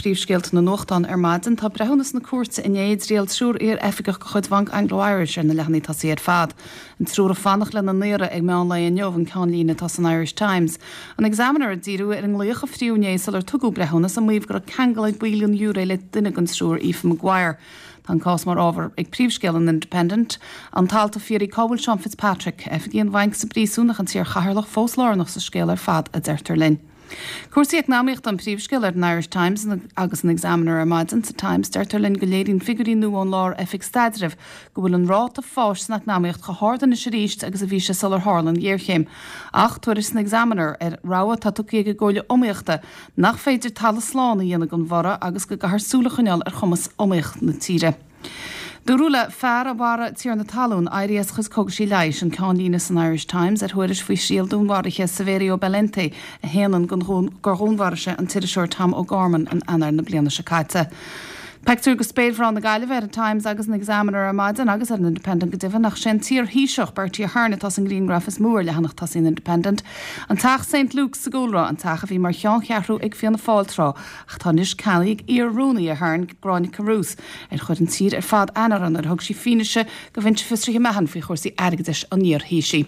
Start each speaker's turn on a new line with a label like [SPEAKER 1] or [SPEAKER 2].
[SPEAKER 1] phríomhscéalta na nuachtán ar maidin. Tá breithiúnas na cúirte inné i dtriail triúr iar-oifigeach de chuid Bhanc Anglo Irish ar na leathanaigh tosaigh ar fad. An triúr ag fanacht lena ndaoradh ag meán lae inniu an ceannlíne atá san Irish Times. An Examiner ag díriú ar an nglaoch a fríodh inné sular tugadh breithiúnas, ag maíomh go raibh ceangal ag baill den ghiúiré le duine den triúr, Aoife Maguire. Tá an cás mar ábhar ag príomhscéal an Independent. An t-alt ag fiafraí cá bhfuil Seán Fitzpatrick, oifigigh an bhainc sa bpríosún ach an t-iar-chathaoirleach fós lárnach sa scéal ar fad, a deirtear linn. Cúrsaí eacnamaíochta an príomhscéal ar an Irish Times agus an Examiner ar maidin. Sa Times, deirtear linn go léiríonn figiúirí nua ón Lár-Oifig Staidrimh go bhfuil an ráta fáis san eacnamaíocht chomh hard anois arís agus a bhí sé sular tharla an ghéarchéim. Ach tuairisc san Examiner ar rabhadh atá tugtha ag an gComhairle Iomaíochta nach féidir talamh slán a dhéanamh den bhorradh agus go gcaithfear súil a choinneáil ar chumas iomaíoch na tíre. Dúradh le fear a mharaigh tiarna talún éirí as a chuid cógaisí leighis, an ceannlíne san Irish Times ar thuairisc faoi thriail dúnmharaithe Saverio Bellente a shéanann gur dhúnmharaigh sé an t-iriseoir Tom O'Gorman in Eanáir na bliana seo caite. Pictiúr de spéirmhná na Gaillimhe ar an Times agus an Examiner ar maidin agus ar an Independent go deimhin ach sé an t-iar-Thaoiseach Bertie Ahern atá sa ngrianghraf is mó ar leathanach tosaigh an Independent. An Teach St Luke's sa gcúlra, an teach a bhí mar cheanncheathrú ag Fianna Fáil tráth ach atá anois ceannaithe ag iar-rúnaí Ahern, Gráinne Carruth, ar chuir an tír ar fad aithne uirthi nuair a thug sí fianaise do Bhinse Fiosraithe Mahon faoi chúrsaí airgeadais an iar-Thaoisigh.